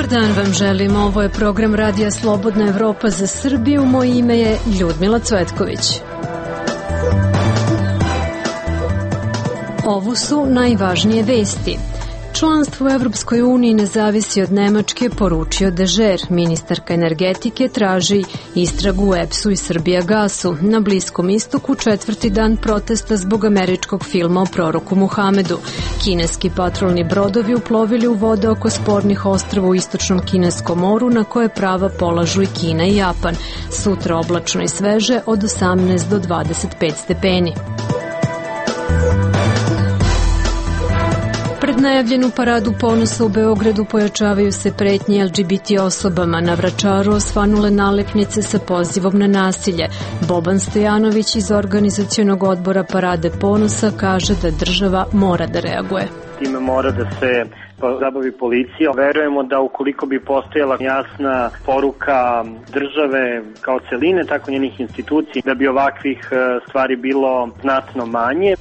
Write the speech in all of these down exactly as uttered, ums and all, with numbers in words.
dan vam želim, ovo je program Radija Slobodna Evropa za Srbiju, moje ime je Ljudmila Cvetković. Ovo su najvažnije vesti. Članstvo u Evropskoj uniji ne zavisi od Nemačke, poručio Dežer. Ministarka energetike traži istragu u E P S-u i Srbijagasu. Na Bliskom istoku četvrti dan protesta zbog američkog filma o proroku Muhamedu. Kineski patrolni brodovi uplovili u vode oko spornih ostrava u istočnom Kineskom moru, na koje prava polažu i Kina i Japan. Sutra oblačno i sveže od osamnaest do dvadeset pet stepeni. Pred najavljenu paradu ponosa u Beogradu pojačavaju se pretnje L G B T osobama. Na Vračaru osvanule nalepnice sa pozivom na nasilje. Boban Stojanović iz organizacionog odbora Parade ponosa kaže da država mora da reaguje. Time mora da se zabavi policija. Verujemo da ukoliko bi postojala jasna poruka države kao celine, tako njenih institucija, da bi ovakvih stvari bilo znatno manje.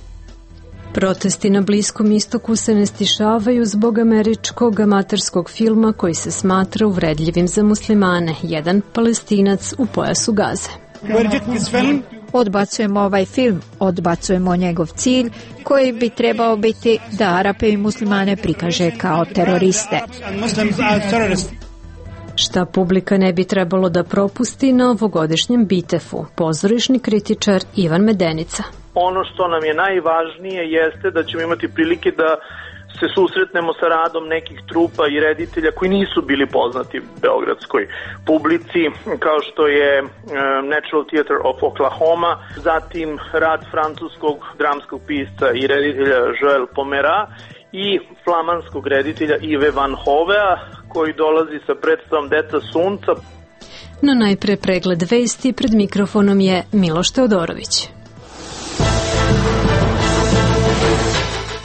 Protesti na Bliskom istoku se ne stišavaju zbog američkog amaterskog filma koji se smatra uvredljivim za muslimane. Jedan Palestinac u pojasu Gaze. Odbacujemo ovaj film, odbacujemo njegov cilj koji bi trebao biti da Arape i muslimane prikaže kao teroriste. Šta publika ne bi trebalo da propusti na ovogodišnjem Bitefu, pozorišni kritičar Ivan Medenica. Ono što nam je najvažnije jeste da ćemo imati prilike da se susretnemo sa radom nekih trupa i reditelja koji nisu bili poznati beogradskoj publici, kao što je Natural Theatre of Oklahoma, zatim rad francuskog dramskog pisca i reditelja Joël Pomera i flamanskog reditelja Yves Van Hovea, koji dolazi sa predstavom Deca sunca. No najpre pregled vesti, pred mikrofonom je Miloš Teodorović.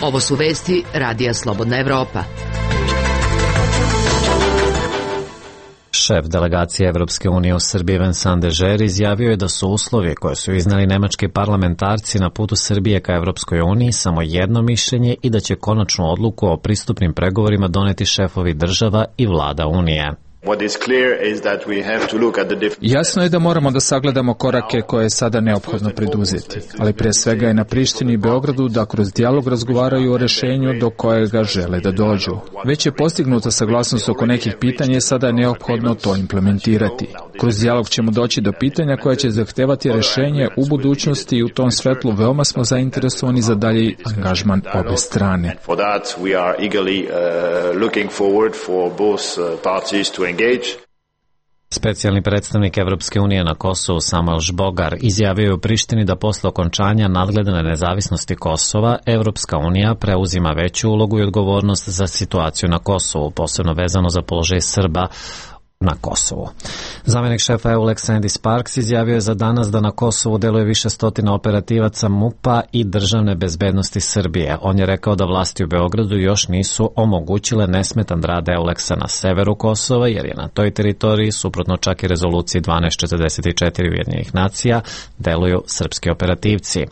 Ovo su vesti Radija Slobodna Evropa. Šef delegacije Evropske unije u Srbiji Vincent Dežer izjavio je da su uslovi koje su iznali nemački parlamentarci na putu Srbije ka Evropskoj uniji samo jedno mišljenje i da će konačnu odluku o pristupnim pregovorima doneti šefovi država i vlada Unije. Jasno je da moramo da sagledamo korake koje je sada neophodno preduzeti, ali prije svega je na Prištini i Beogradu da kroz dijalog razgovaraju o rešenju do kojega žele da dođu. Već je postignuta saglasnost oko nekih pitanja i sada je neophodno to implementirati. Kroz dijalog ćemo doći do pitanja koja će zahtevati rešenje u budućnosti i u tom svetlu veoma smo zainteresovani za dalji angažman obe strane. Specijalni predstavnik Evropske unije na Kosovu Samuel Žbogar izjavio je u Prištini da posle okončanja nadgledane nezavisnosti Kosova Evropska unija preuzima veću ulogu i odgovornost za situaciju na Kosovu, posebno vezano za položaj Srba na Kosovu. Zamenik šefa E U L E X Andy Sparks izjavio je za danas da na Kosovu deluje više stotina operativaca MUP-a i državne bezbednosti Srbije. On je rekao da vlasti u Beogradu još nisu omogućile nesmetan rad E U L E X-a na severu Kosova, jer je na toj teritoriji, suprotno čak i rezoluciji dvanaest četrdeset četiri Ujedinjenih nacija, deluju srpski operativci.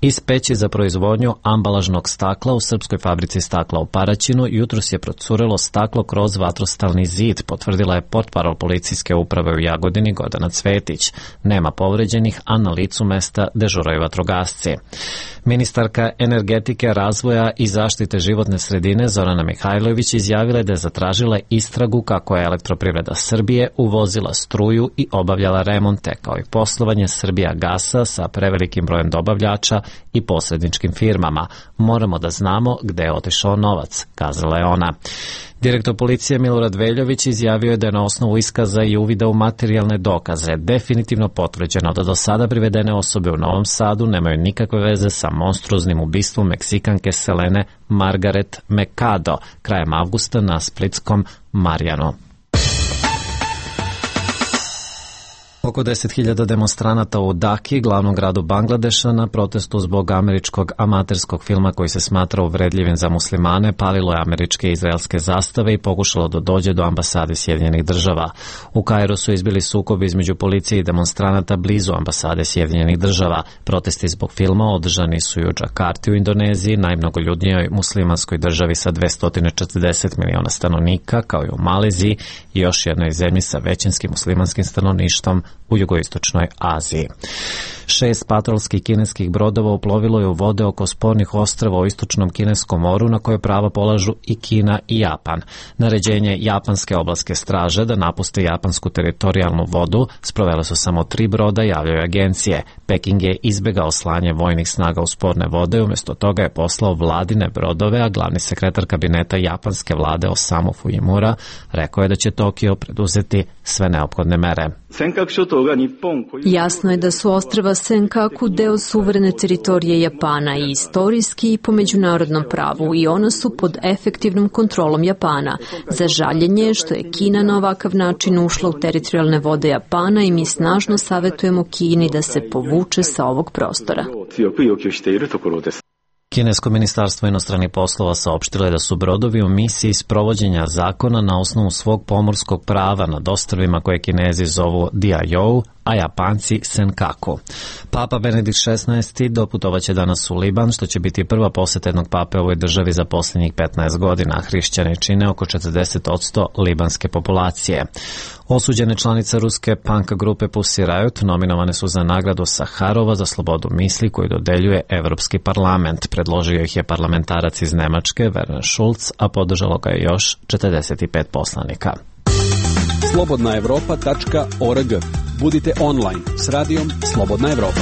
Iz peći za proizvodnju ambalažnog stakla u srpskoj fabrici stakla u Paraćinu jutros je procurelo staklo kroz vatrostalni zid, potvrdila je portparol policijske uprave u Jagodini Gordana Cvetić. Nema povređenih, a na licu mesta dežuraju vatrogasci. Ministarka energetike, razvoja i zaštite životne sredine Zorana Mihajlović izjavila je da je zatražila istragu kako je Elektroprivreda Srbije uvozila struju i obavljala remonte, kao i poslovanje Srbijagasa sa prevelikim brojem dobavljača i posredničkim firmama. Moramo da znamo gde je otišao novac, kazala je ona. Direktor policije Milorad Veljović izjavio je da je na osnovu iskaza i uvida u materijalne dokaze definitivno potvrđeno da do sada privedene osobe u Novom Sadu nemaju nikakve veze sa monstruoznim ubistvom Meksikanke Selene Margaret Mercado krajem avgusta na splitskom Marjanu. Oko Oko deset hiljada demonstranata u Daki, glavnom gradu Bangladeša, na protestu zbog američkog amaterskog filma koji se smatra uvredljivim za muslimane, palilo je američke i izraelske zastave i pokušalo da dođe do ambasade Sjedinjenih država. U Kairu su izbili sukobi između policije i demonstranata blizu ambasade Sjedinjenih država. Protesti zbog filma održani su i u Džakarti u Indoneziji, najmnogoljudnijoj muslimanskoj državi sa dvesta četrdeset miliona stanovnika, kao i u Maleziji i još jednoj zemlji sa većinskim muslimanskim stanovništvom u jugoistočnoj Aziji. Šest patrolskih kineskih brodova uplovilo je u vode oko spornih ostrava u istočnom kineskom moru na koje prava polažu i Kina i Japan. Naređenje japanske obalske straže da napuste japansku teritorijalnu vodu sprovele su samo tri broda, javljaju agencije. Peking je izbegao slanje vojnih snaga u sporne vode, umjesto toga je poslao vladine brodove, a glavni sekretar kabineta japanske vlade Osamu Fujimura rekao je da će Tokio preduzeti sve neophodne mere. Jasno je da su ostrva Senkaku deo suverene teritorije Japana i istorijski i po međunarodnom pravu i ona su pod efektivnom kontrolom Japana. Za žaljenje je što je Kina na ovakav način ušla u teritorijalne vode Japana i mi snažno savjetujemo Kini da se povuče sa ovog prostora. Kinesko ministarstvo inostranih poslova saopštilo je da su brodovi u misiji sprovođenja zakona na osnovu svog pomorskog prava nad ostrvima koje Kinezi zovu Diaoyu, a Japanci Senkaku. Papa Benedikt šesnaesti doputovaće danas u Liban, što će biti prva poseta jednog pape u ovoj državi za posljednjih petnaest godina. Hrišćani čine oko četrdeset posto libanske populacije. Osuđene članice ruske punk grupe Pussy Riot nominovane su za nagradu Saharova za slobodu misli koju dodeljuje Evropski parlament. Predložio ih je parlamentarac iz Nemačke, Werner Schulz, a podržalo ga je još četrdeset pet poslanika. slobodna evropa tačka org. Budite online s radijom Slobodna Evropa.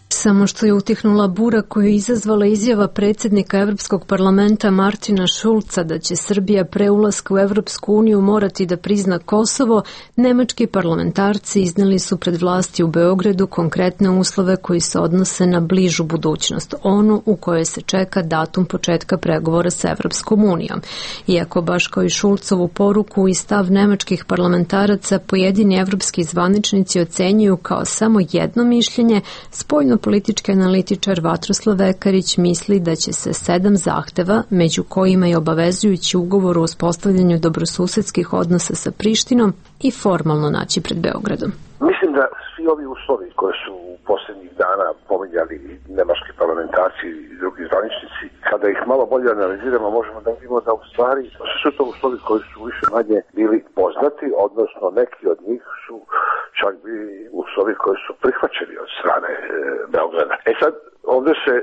Samo što je utihnula bura koju je izazvala izjava predsjednika Evropskog parlamenta Martina Schulza da će Srbija pre ulaska u Evropsku uniju morati da prizna Kosovo, nemački parlamentarci izneli su pred vlasti u Beogradu konkretne uslove koji se odnose na bližu budućnost, onu u kojoj se čeka datum početka pregovora sa Evropskom unijom. Iako baš kao i Schulzovu poruku i stav nemačkih parlamentaraca pojedini evropski zvaničnici ocenjuju kao samo jedno mišljenje, spoljno politički analitičar Vatroslav Vekarić misli da će se sedam zahteva, među kojima je obavezujući ugovor o uspostavljanju dobrosusedskih odnosa sa Prištinom, i formalno naći pred Beogradom. Mislim da svi ovi uslovi koji su u posljednjih dana pominjali nemački parlamentarci i drugi zvaničnici, kada ih malo bolje analiziramo, možemo da vidimo da u stvari su to uslovi koji su više manje bili poznati, odnosno neki od njih su čak bili uslovi koji su prihvaćeni od strane e, Beograda. E sad, ovdje se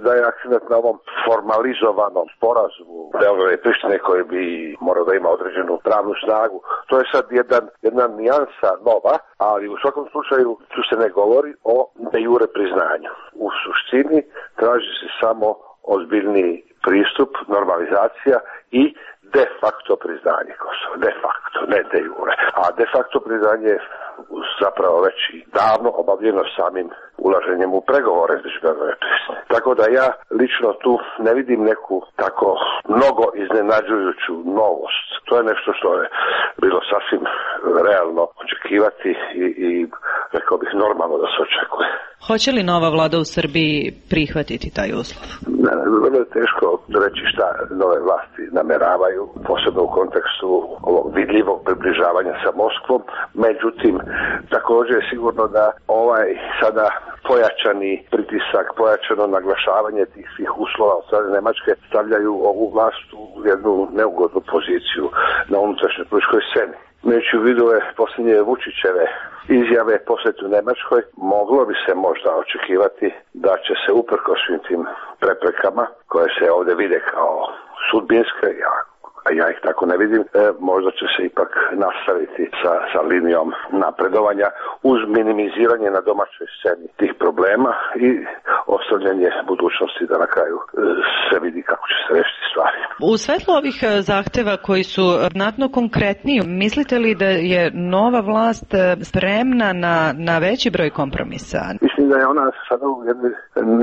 daje akcent na ovom formalizovanom sporazumu Beograda i Prištine koji bi morao da ima određenu pravnu snagu. To je sad jedan, jedna nijansa nova, ali u svakom slučaju tu se ne govori o de jure priznanju. U suštini traži se samo ozbiljniji pristup, normalizacija i de facto priznanje Kosova. De facto, ne de jure. A de facto priznanje je zapravo već i davno obavljeno samim ulaženjem u pregovore između Beograda i Prištine. Tako da ja lično tu ne vidim neku tako mnogo iznenađujuću novost. To je nešto što je bilo sasvim realno očekivati i, i rekao bih normalno da se očekuje. Hoće li nova vlada u Srbiji prihvatiti taj uslov? Ne, vrlo je teško reći šta nove vlasti nameravaju, posebno u kontekstu ovog vidljivog približavanja sa Moskvom. Međutim, također je sigurno da ovaj sada pojačani pritisak, pojačano naglašavanje tih svih uslova od strane Nemačke stavljaju ovu vlast u jednu neugodnu poziciju na unutrašnjoj političkoj sceni. Imajući u vidu je posljednje Vučićeve izjave posjetu Nemačkoj, moglo bi se možda očekivati da će se uprkos svim tim preprekama koje se ovdje vide kao sudbinske, a ja ih tako ne vidim, e, možda će se ipak nastaviti sa, sa linijom napredovanja uz minimiziranje na domaćoj sceni tih problema i ostavljanje budućnosti da na kraju e, se vidi kako će se rešiti stvari. U svetlu ovih zahteva koji su znatno konkretniji, mislite li da je nova vlast spremna na, na veći broj kompromisa? Mislim da je ona sada u jednoj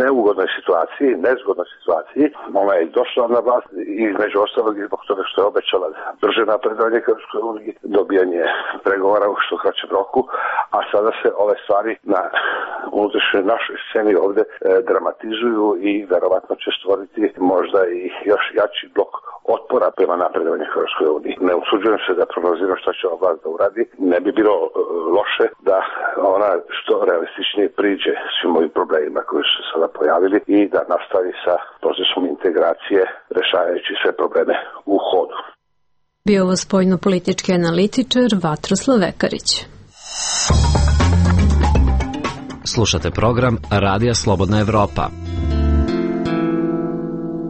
neugodnoj situaciji, nezgodnoj situaciji. Ona je došla na vlast i između ostalog i zbog toga što je obećala brže napredovanje ka Evropskoj uniji, dobijanje pregovora u što kraćem roku, a sada se ove stvari na unutrašnjoj našoj sceni ovde e, dramatizuju i verovatno će stvoriti možda i još jači blok otpora prema napredovanju Evropskoj uniji. Ne usuđujem se da prognoziram šta će ova vlast da uradi. Ne bi bilo e, loše da ona što realističnije priđe svim ovim problemima koji su se sada pojavili i da nastavi sa procesom integracije rešavajući sve probleme u hodu. Bio ovo spoljno-politički analitičar Vatroslav Vekarić. Slušate program Radija Slobodna Evropa.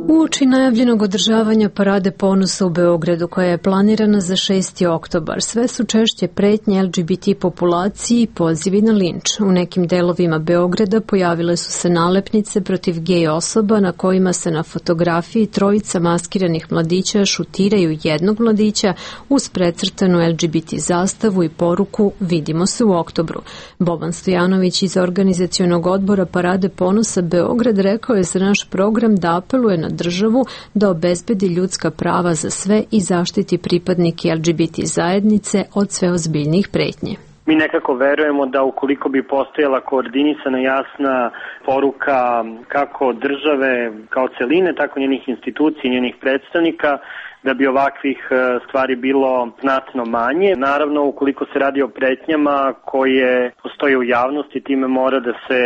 Uoči najavljenog održavanja Parade ponosa u Beogradu, koja je planirana za šesti oktobar, sve su češće pretnje L G B T populaciji i pozivi na linč. U nekim delovima Beograda pojavile su se nalepnice protiv gej osoba na kojima se na fotografiji trojica maskiranih mladića šutiraju jednog mladića uz precrtanu L G B T zastavu i poruku "Vidimo se u oktobru". Boban Stojanović iz organizacionog odbora Parade ponosa Beograd rekao je za naš program da apeluje na državu da obezbedi ljudska prava za sve i zaštiti pripadnike L G B T zajednice od sve ozbiljnijih pretnji. Mi nekako verujemo da ukoliko bi postojala koordinisana jasna poruka kako države kao celine, tako njenih institucija, njenih predstavnika, da bi ovakvih stvari bilo znatno manje. Naravno, ukoliko se radi o pretnjama koje postoje u javnosti, time mora da se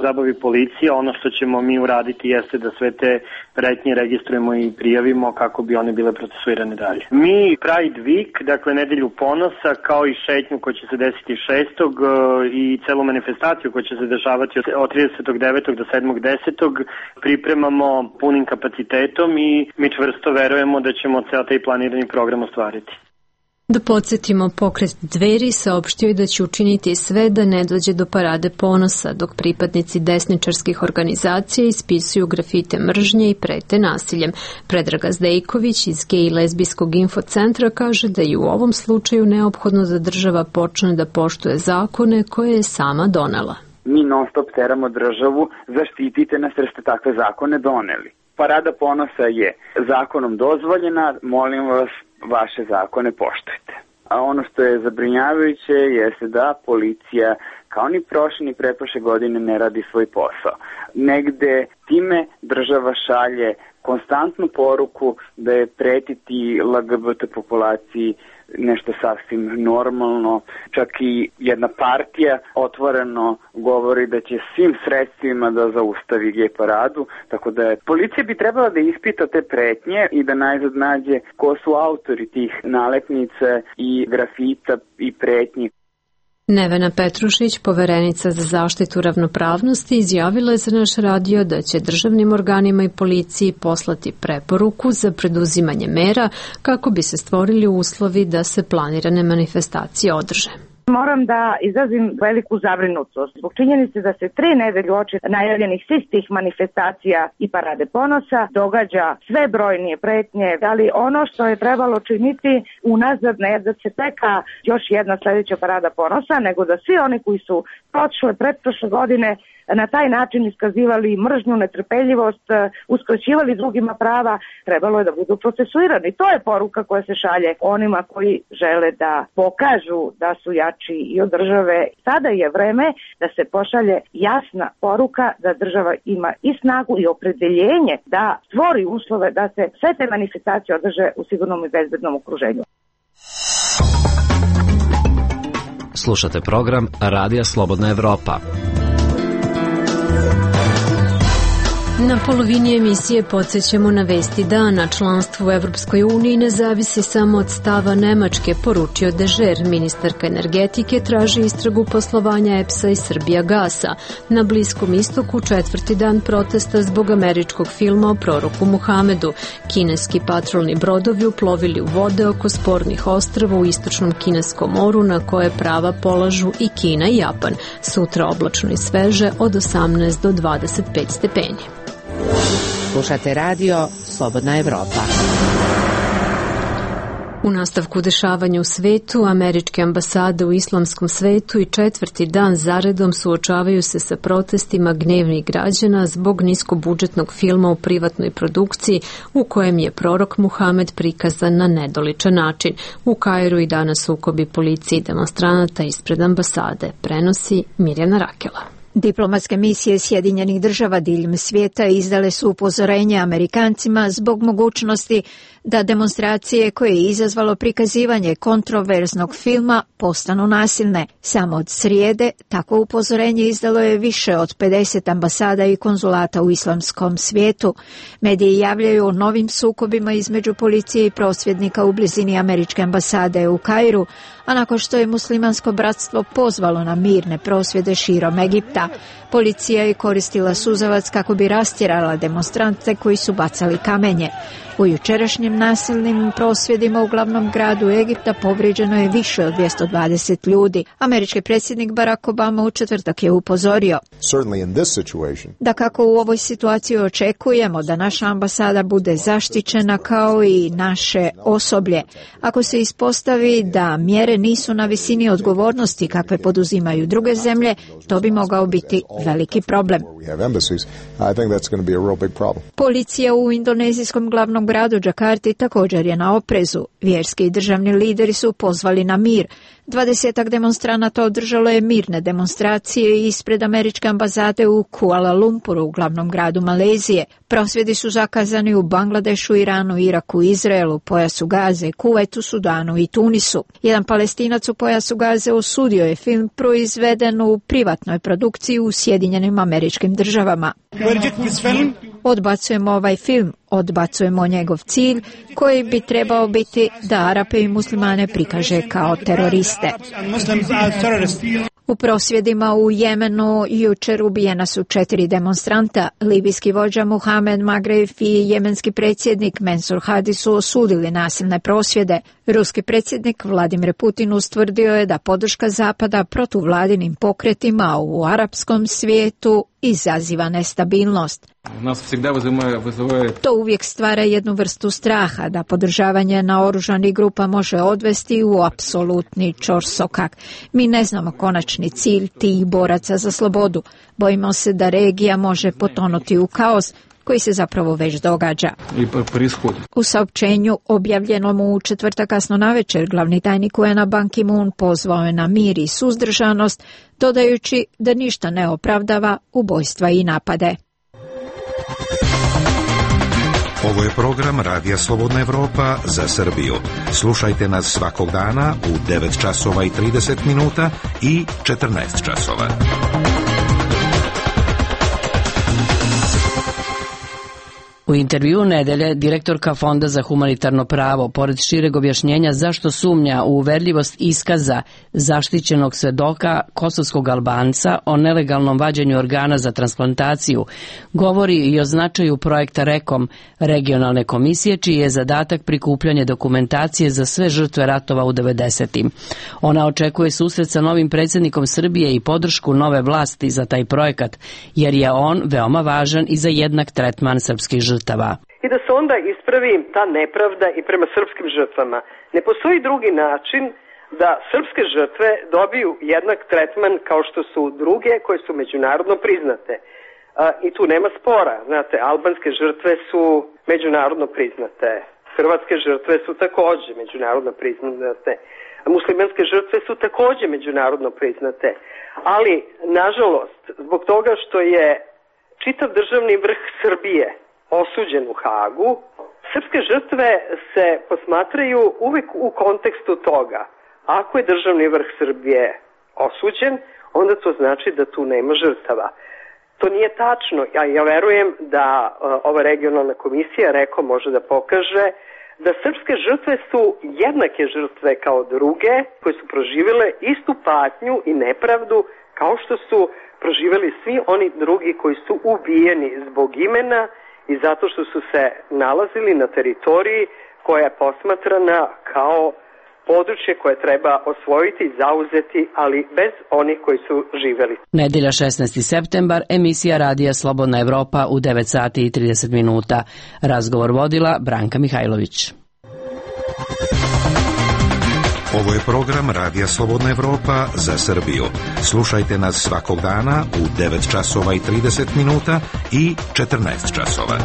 zabavi policija. Ono što ćemo mi uraditi jeste da sve te pretnje registrujemo i prijavimo kako bi one bile procesuirane dalje. Mi Pride Week, dakle nedelju ponosa, kao i šetnju koja će se desiti šestog i celu manifestaciju koja će se dešavati od tridesetog devetog do sedmog desetog pripremamo punim kapacitetom i mi čvrsto verujemo da ćemo ceo taj planirani program ostvariti. Da podsjetimo, pokret Dveri saopštio je da će učiniti sve da ne dođe do Parade ponosa, dok pripadnici desničarskih organizacija ispisuju grafite mržnje i prete nasiljem. Predraga Zdejković iz Gej i lezbijskog infocentra kaže da je u ovom slučaju neophodno da država počne da poštuje zakone koje je sama donela. Mi non stop teramo državu, zaštitite nas jer ste takve zakone doneli. Parada ponosa je zakonom dozvoljena, molim vas, vaše zakone poštujte. A ono što je zabrinjavajuće jeste da policija kao ni prošle ni pretprošle godine ne radi svoj posao. Negde time država šalje konstantnu poruku da je pretiti L G B T populaciji nešto sasvim normalno. Čak i jedna partija otvoreno govori da će svim sredstvima da zaustavi gej paradu, tako da je policija bi trebala da ispita te pretnje i da najzad nađe ko su autori tih nalepnica i grafita i pretnji. Nevena Petrušić, poverenica za zaštitu ravnopravnosti, izjavila je za naš radio da će državnim organima i policiji poslati preporuku za preduzimanje mera kako bi se stvorili uslovi da se planirane manifestacije održe. Moram da izrazim veliku zabrinutost zbog činjenice da se tri nedelje uoči najavljenih svih tih manifestacija i Parade ponosa događa sve brojnije pretnje, ali ono što je trebalo činiti unazad ne da se čeka još jedna sledeća Parada ponosa, nego da svi oni koji su prošle, pretprošle godine na taj način iskazivali mržnju, netrpeljivost, uskraćivali drugima prava, trebalo je da budu procesuirani. To je poruka koja se šalje onima koji žele da pokažu da su jači i od države. Sada je vreme da se pošalje jasna poruka da država ima i snagu i opredeljenje da stvori uslove da se sve te manifestacije održe u sigurnom i bezbednom okruženju. Slušate program Radija Slobodna Evropa. Na polovini emisije podsjećamo na vesti dana. Članstvo u Evropskoj uniji ne zavisi samo od stava Nemačke, poručio Dežer. Ministarka energetike traži istragu poslovanja E P S A i Srbijagasa. Na Bliskom istoku četvrti dan protesta zbog američkog filma o proroku Muhamedu. Kineski patrolni brodovi uplovili u vode oko spornih ostrava u istočnom kineskom moru na koje prava polažu i Kina i Japan. Sutra oblačno i sveže od osamnaest do dvadeset pet stepeni. Slušate radio Slobodna Evropa. U nastavku dešavanja u svetu, američke ambasade u islamskom svetu i četvrti dan zaredom suočavaju se sa protestima gnevnih građana zbog niskobudžetnog filma u privatnoj produkciji u kojem je prorok Muhamed prikazan na nedoličan način. U Kairu i danas sukobi policije i demonstranata ispred ambasade, prenosi Mirjana Rakela. Diplomatske misije Sjedinjenih država diljem svijeta izdale su upozorenje Amerikancima zbog mogućnosti da demonstracije koje je izazvalo prikazivanje kontroverznog filma postanu nasilne. Samo od srijede takvo upozorenje izdalo je više od pedeset ambasada i konzulata u islamskom svijetu. Mediji javljaju o novim sukobima između policije i prosvjednika u blizini američke ambasade u Kairu, a nakon što je muslimansko bratstvo pozvalo na mirne prosvjede širom Egipta, policija je koristila suzavac kako bi rastjerala demonstrante koji su bacali kamenje. U jučerašnjim nasilnim prosvjedima u glavnom gradu Egipta povrijeđeno je više od dvjesto dvadeset ljudi. Američki predsjednik Barack Obama u četvrtak je upozorio da kako u ovoj situaciji očekujemo da naša ambasada bude zaštićena kao i naše osoblje. Ako se ispostavi da mjere nisu na visini odgovornosti kakve poduzimaju druge zemlje, to bi mogao biti veliki problem. Policija u indonezijskom glavnom gradu Džakarti također je na oprezu. Vjerski i državni lideri su pozvali na mir. Dvadesetak demonstranata održalo je mirne demonstracije ispred američke ambasade u Kuala Lumpuru, u glavnom gradu Malezije. Prosvjedi su zakazani u Bangladešu, Iranu, Iraku, Izraelu, pojasu Gaze, Kuvajtu, Sudanu i Tunisu. Jedan Palestinac u pojasu Gaze osudio je film proizveden u privatnoj produkciji u Sjedinjenim Američkim Državama. Odbacujemo ovaj film, odbacujemo njegov cilj koji bi trebao biti da Arape i muslimane prikaže kao teroriste. U prosvjedima u Jemenu jučer ubijena su četiri demonstranta. Libijski vođa Muhamed Magreif i jemenski predsjednik Mensur Hadi su osudili nasilne prosvjede. Ruski predsjednik Vladimir Putin ustvrdio je da podrška Zapada protuvladinim pokretima u arapskom svijetu izaziva nestabilnost. To uvijek stvara jednu vrstu straha da podržavanje naoružanih grupa može odvesti u apsolutni ćorsokak. Mi ne znamo konačni cilj tih boraca za slobodu. Bojimo se da regija može potonuti u kaos koji se zapravo već događa. U saopćenju objavljenom u četvrtak kasno navečer, glavni tajnik U N-a Ban Ki-moon pozvao je na mir i suzdržanost, dodajući da ništa ne opravdava ubojstva i napade. Ovo je program Radija Slobodna Evropa za Srbiju. Slušajte nas svakog dana u devet časova i trideset minuta i četrnaest časova. U intervjuu nedelje direktorka Fonda za humanitarno pravo, pored šireg objašnjenja zašto sumnja u uverljivost iskaza zaštićenog svedoka kosovskog Albanca o nelegalnom vađenju organa za transplantaciju, govori i o značaju projekta REKOM, regionalne komisije, čiji je zadatak prikupljanje dokumentacije za sve žrtve ratova u devedesetim. Ona očekuje susret sa novim predsjednikom Srbije i podršku nove vlasti za taj projekat, jer je on veoma važan i za jednak tretman srpskih žrtava. I da se onda ispravi ta nepravda i prema srpskim žrtvama. Ne postoji drugi način da srpske žrtve dobiju jednak tretman kao što su druge koje su međunarodno priznate. A, I tu nema spora. Znate, albanske žrtve su međunarodno priznate. Hrvatske žrtve su takođe međunarodno priznate. Muslimanske žrtve su takođe međunarodno priznate. Ali, nažalost, zbog toga što je čitav državni vrh Srbije osuđen u Hagu, srpske žrtve se posmatraju uvek u kontekstu toga. Ako je državni vrh Srbije osuđen, onda to znači da tu nema žrtava. To nije tačno. Ja, ja verujem da uh, ova regionalna komisija REKO može da pokaže da srpske žrtve su jednake žrtve kao druge koje su proživjele istu patnju i nepravdu kao što su proživjeli svi oni drugi koji su ubijeni zbog imena i zato što su se nalazili na teritoriji koja je posmatrana kao područje koje treba osvojiti i zauzeti, ali bez onih koji su živeli. Nedelja šesnaesti septembar, emisija Radija Slobodna Evropa u devet sati i trideset minuta. Razgovor vodila Branka Mihajlović. Ovo je program Radija Slobodna Evropa za Srbiju. Slušajte nas svakog dana u devet časova i trideset minuta i četrnaest časova.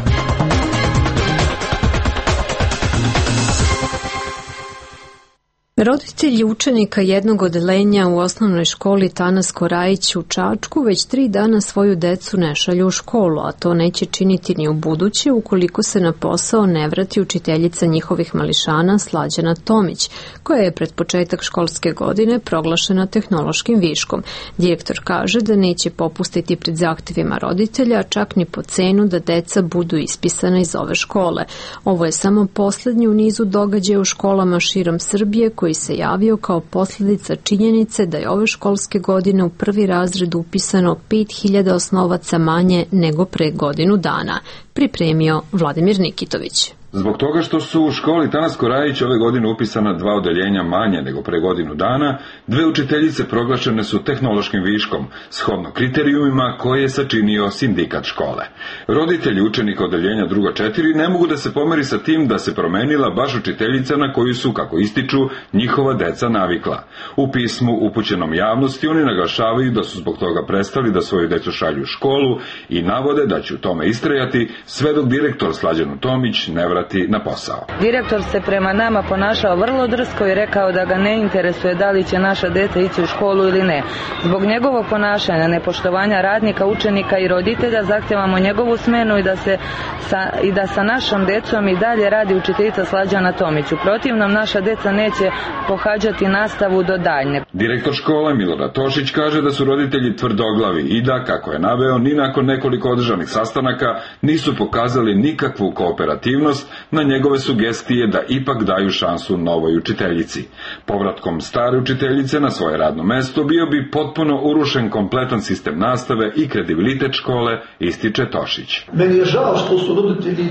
Roditelji učenika jednog odeljenja u osnovnoj školi Tanas Korajić u Čačku već tri dana svoju decu ne šalju u školu, a to neće činiti ni u buduće ukoliko se na posao ne vrati učiteljica njihovih mališana Slađana Tomić, koja je pred početak školske godine proglašena tehnološkim viškom. Direktor kaže da neće popustiti pred zahtjevima roditelja, čak ni po cenu da deca budu ispisana iz ove škole. Ovo je samo poslednji u nizu događaja u školama širom Srbije koji se javio kao posljedica činjenice da je ove školske godine u prvi razred upisano pet hiljada osnovaca manje nego pre godinu dana, pripremio Vladimir Nikitović. Zbog toga što su u školi Tanas Korajić ove godine upisana dva odeljenja manje nego pre godinu dana, dve učiteljice proglašene su tehnološkim viškom, shodno kriterijumima koje je sačinio sindikat škole. Roditelji učenika odeljenja drugo četiri ne mogu da se pomeri sa tim da se promenila baš učiteljica na koju su, kako ističu, njihova deca navikla. U pismu upućenom javnosti oni naglašavaju da su zbog toga prestali da svoju decu šalju u školu i navode da će u tome istrajati sve dok direktor Slađanu Tomić ne vrati na posao. Direktor se prema nama ponašao vrlo drsko i rekao da ga ne interesuje da li će naša deca ići u školu ili ne. Zbog njegovog ponašanja, nepoštovanja radnika, učenika i roditelja zahtevamo njegovu smenu i da se sa, i da sa našom decom i dalje radi učiteljica Slađana Tomić. U protivnom naša deca neće pohađati nastavu do daljnje. Direktor škole Milorad Tošić kaže da su roditelji tvrdoglavi i da, kako je naveo, ni nakon nekoliko održanih sastanaka nisu pokazali nikakvu kooperativnost na njegove sugestije da ipak daju šansu novoj učiteljici. Povratkom stare učiteljice na svoje radno mesto bio bi potpuno urušen kompletan sistem nastave i kredibilitet škole, ističe Tošić. Meni je žao što su roditelji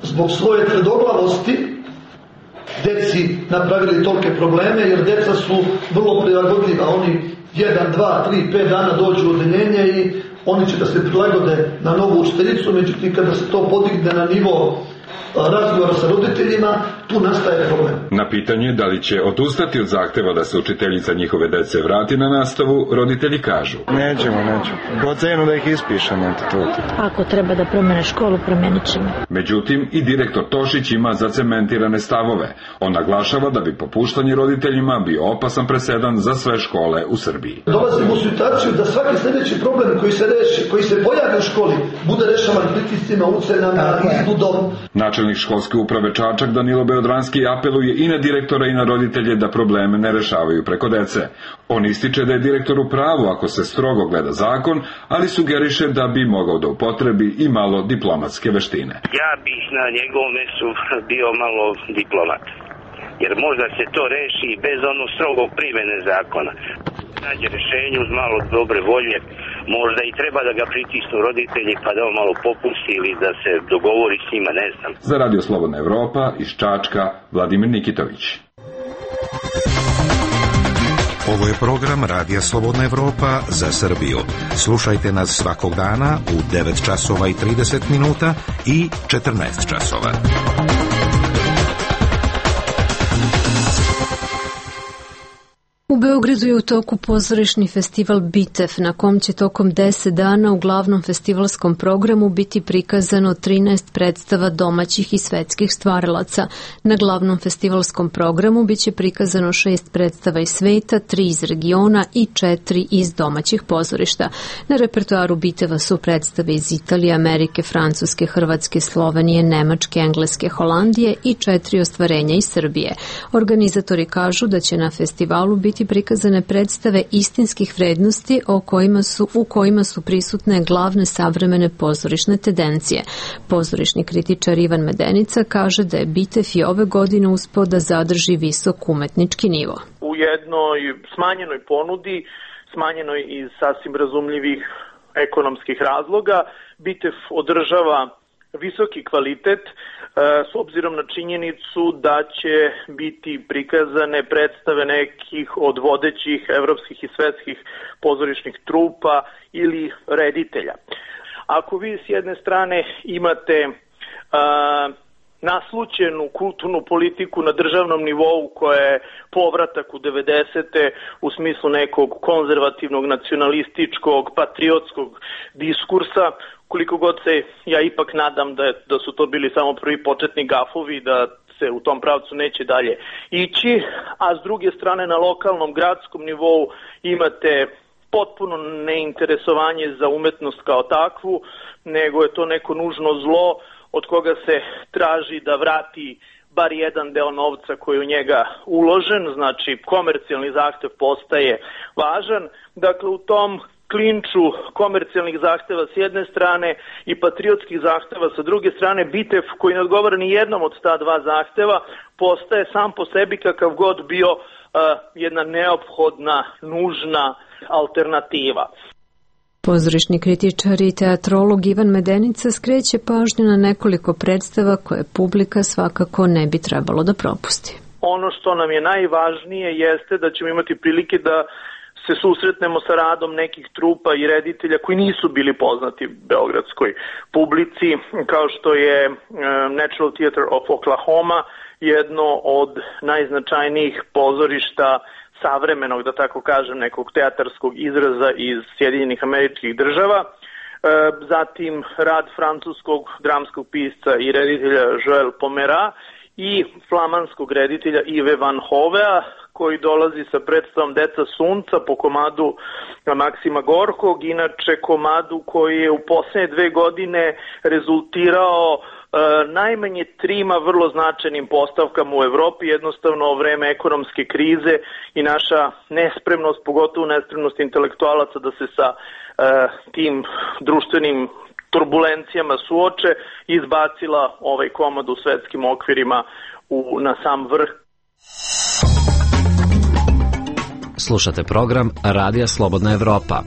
zbog svoje tvrdoglavosti deci napravili tolike probleme, jer deca su vrlo prilagodljiva. Oni jedan, dva, tri, pet dana dođu u odeljenje i oni će da se prilagode na novu učiteljicu, međutim kada se to podigne na nivo razgovora sa roditeljima, tu nastaje problem. Na pitanje da li će odustati od zahteva da se učiteljica njihove dece vrati na nastavu, roditelji kažu: Nećemo, nećemo. Po cenu da ih ispišemo. Ako treba da promene školu, promenit ćemo. Međutim, i direktor Tošić ima zacementirane stavove. On naglašava da bi popuštanje roditeljima bio opasan presedan za sve škole u Srbiji. Dolazimo u situaciju da svaki sljedeći problem koji se reši, koji se pojavi u školi, bude rešavan pritiscima, ucenama, izbudom. Načelnik školske uprave Čačak Danilo Beodranski apeluje i na direktora i na roditelje da probleme ne rešavaju preko dece. On ističe da je direktor u pravu ako se strogo gleda zakon, ali sugeriše da bi mogao da upotrebi i malo diplomatske veštine. Ja bih na njegovom mestu bio malo diplomat, jer možda se to reši bez ono strogog primene zakona. Nađe rešenje uz malo dobre volje, možda i treba da ga pritisnu roditelji pa da on malo popusti ili da se dogovori s njima, ne znam. Za Radio Slobodna Evropa iz Čačka, Vladimir Nikitović. Ovo je program Radija Slobodna Evropa za Srbiju. Slušajte nas svakog dana u devet časova i trideset minuta i četrnaest časova. U Beogradu je u toku pozorišni festival Bitev, na kom će tokom deset dana u glavnom festivalskom programu biti prikazano trinaest predstava domaćih i svetskih stvaralaca. Na glavnom festivalskom programu biće prikazano šest predstava iz sveta, tri iz regiona i četiri iz domaćih pozorišta. Na repertoaru Biteva su predstave iz Italije, Amerike, Francuske, Hrvatske, Slovenije, Nemačke, Engleske, Holandije i četiri ostvarenja iz Srbije. Organizatori kažu da će na festivalu biti prikazane predstave istinskih vrednosti o kojima su, u kojima su prisutne glavne savremene pozorišne tendencije. Pozorišni kritičar Ivan Medenica kaže da je Bitev i ove godine uspeo da zadrži visok umetnički nivo. U jednoj smanjenoj ponudi, smanjenoj iz sasvim razumljivih ekonomskih razloga, Bitev održava visoki kvalitet s obzirom na činjenicu da će biti prikazane predstave nekih od vodećih evropskih i svetskih pozorišnih trupa ili reditelja. Ako vi s jedne strane imate a, naslućenu kulturnu politiku na državnom nivou koja je povratak u devedesete u smislu nekog konzervativnog, nacionalističkog, patriotskog diskursa, koliko god se ja ipak nadam da, da su to bili samo prvi početni gafovi, da se u tom pravcu neće dalje ići, a s druge strane na lokalnom, gradskom nivou imate potpuno neinteresovanje za umetnost kao takvu, nego je to neko nužno zlo od koga se traži da vrati bar jedan deo novca koji je u njega uložen, znači komercijalni zahtev postaje važan. Dakle, u tom klinču komercijalnih zahteva s jedne strane i patriotskih zahteva sa druge strane, Bitev koji ne odgovara ni jednom od ta dva zahteva postaje sam po sebi kakav god bio uh, jedna neophodna, nužna alternativa. Pozorišni kritičar i teatrolog Ivan Medenica skreće pažnju na nekoliko predstava koje publika svakako ne bi trebalo da propusti. Ono što nam je najvažnije jeste da ćemo imati prilike da se susretnemo sa radom nekih trupa i reditelja koji nisu bili poznati beogradskoj publici, kao što je Natural Theater of Oklahoma, jedno od najznačajnijih pozorišta savremenog, da tako kažem, nekog teatarskog izraza iz Sjedinjenih Američkih Država. Zatim rad francuskog dramskog pisca i reditelja Joël Pomera i flamanskog reditelja Yves Van Hovea, koji dolazi sa predstavom Deca sunca po komadu Maksima Gorkog, inače komadu koji je u poslednje dve godine rezultirao e, najmanje trima vrlo značajnim postavkama u Evropi, jednostavno vreme ekonomske krize i naša nespremnost, pogotovo nespremnost intelektualaca da se sa e, tim društvenim turbulencijama suoče, izbacila ovaj komad u svetskim okvirima u, na sam vrh. Slušate program Radija Slobodna Evropa.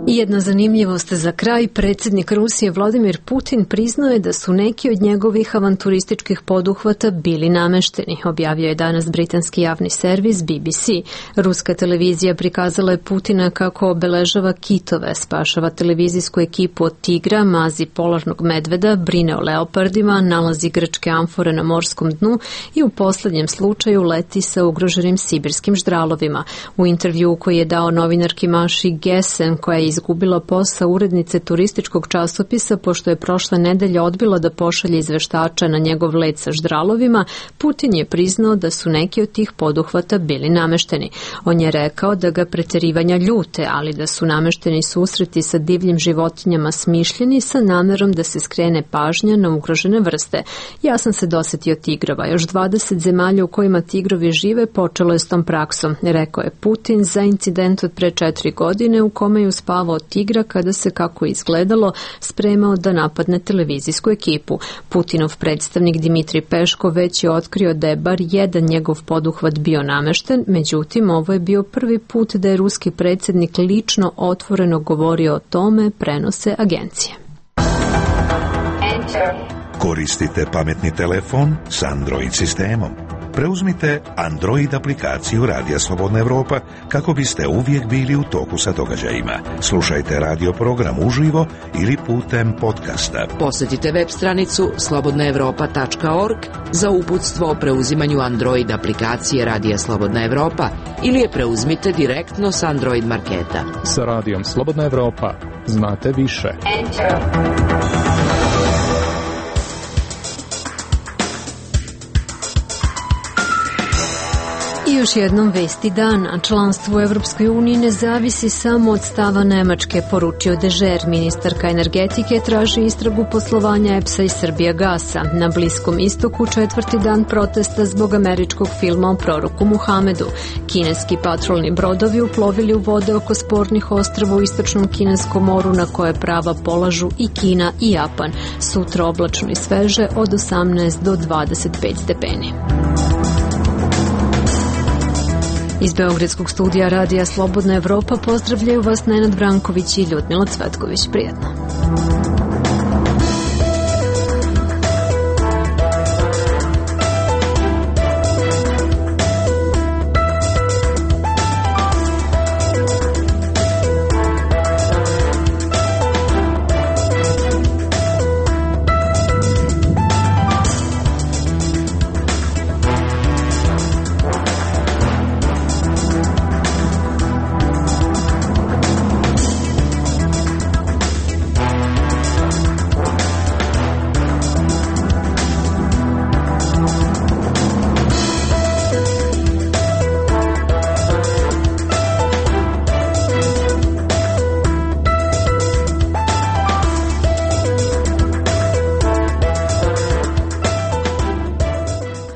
I jedna zanimljivost za kraj, predsjednik Rusije Vladimir Putin priznao je da su neki od njegovih avanturističkih poduhvata bili namešteni, objavio je danas britanski javni servis B B C. Ruska televizija prikazala je Putina kako obeležava kitove, spašava televizijsku ekipu od tigra, mazi polarnog medveda, brine o leopardima, nalazi grčke amfore na morskom dnu i u poslednjem slučaju leti sa ugroženim sibirskim ždralovima. U intervju koji je dao novinarki Maši Gesen, koja je izgubila posao urednice turističkog časopisa pošto je prošle nedelje odbila da pošalje izveštača na njegov let sa ždralovima, Putin je priznao da su neki od tih poduhvata bili namešteni. On je rekao da ga preterivanja ljute, ali da su namešteni susreti sa divljim životinjama smišljeni sa namerom da se skrene pažnja na ugrožene vrste. Ja sam se dosetio tigrova. Još dvadeset zemalja u kojima tigrovi žive počelo je s tom praksom, rekao je Putin za incident od pre četiri godine u kome je uspavao od tigra kada se, kako izgledalo, spremao da napadne televizijsku ekipu. Putinov predstavnik Dimitrij Peško već je otkrio da je bar jedan njegov poduhvat bio namešten, međutim ovo je bio prvi put da je ruski predsjednik lično otvoreno govorio o tome, prenose agencije. Koristite pametni telefon s Android sistemom. Preuzmite Android aplikaciju Radija Slobodna Evropa kako biste uvijek bili u toku sa događajima. Slušajte radio program uživo ili putem podcasta. Posjetite web stranicu slobodna evropa tačka org za uputstvo o preuzimanju Android aplikacije Radija Slobodna Evropa ili je preuzmite direktno s Android marketa. Sa Radijom Slobodna Evropa znate više. Enter. I još jednom vesti dana. Članstvo u Evropskoj uniji ne zavisi samo od stava Nemačke, poručio Dežer. Ministarka energetike traži istragu poslovanja E P S-a i Srbijagasa. Na Bliskom istoku četvrti dan protesta zbog američkog filma o proroku Muhamedu. Kineski patrolni brodovi uplovili u vode oko spornih ostrava u istočnom Kineskom moru na koje prava polažu i Kina i Japan. Sutra oblačno i sveže od osamnaest do dvadeset pet stepeni. Iz Beogradskog studija Radija Slobodna Evropa pozdravljaju vas Nenad Branković i Ljudmila Cvetković. Prijetno.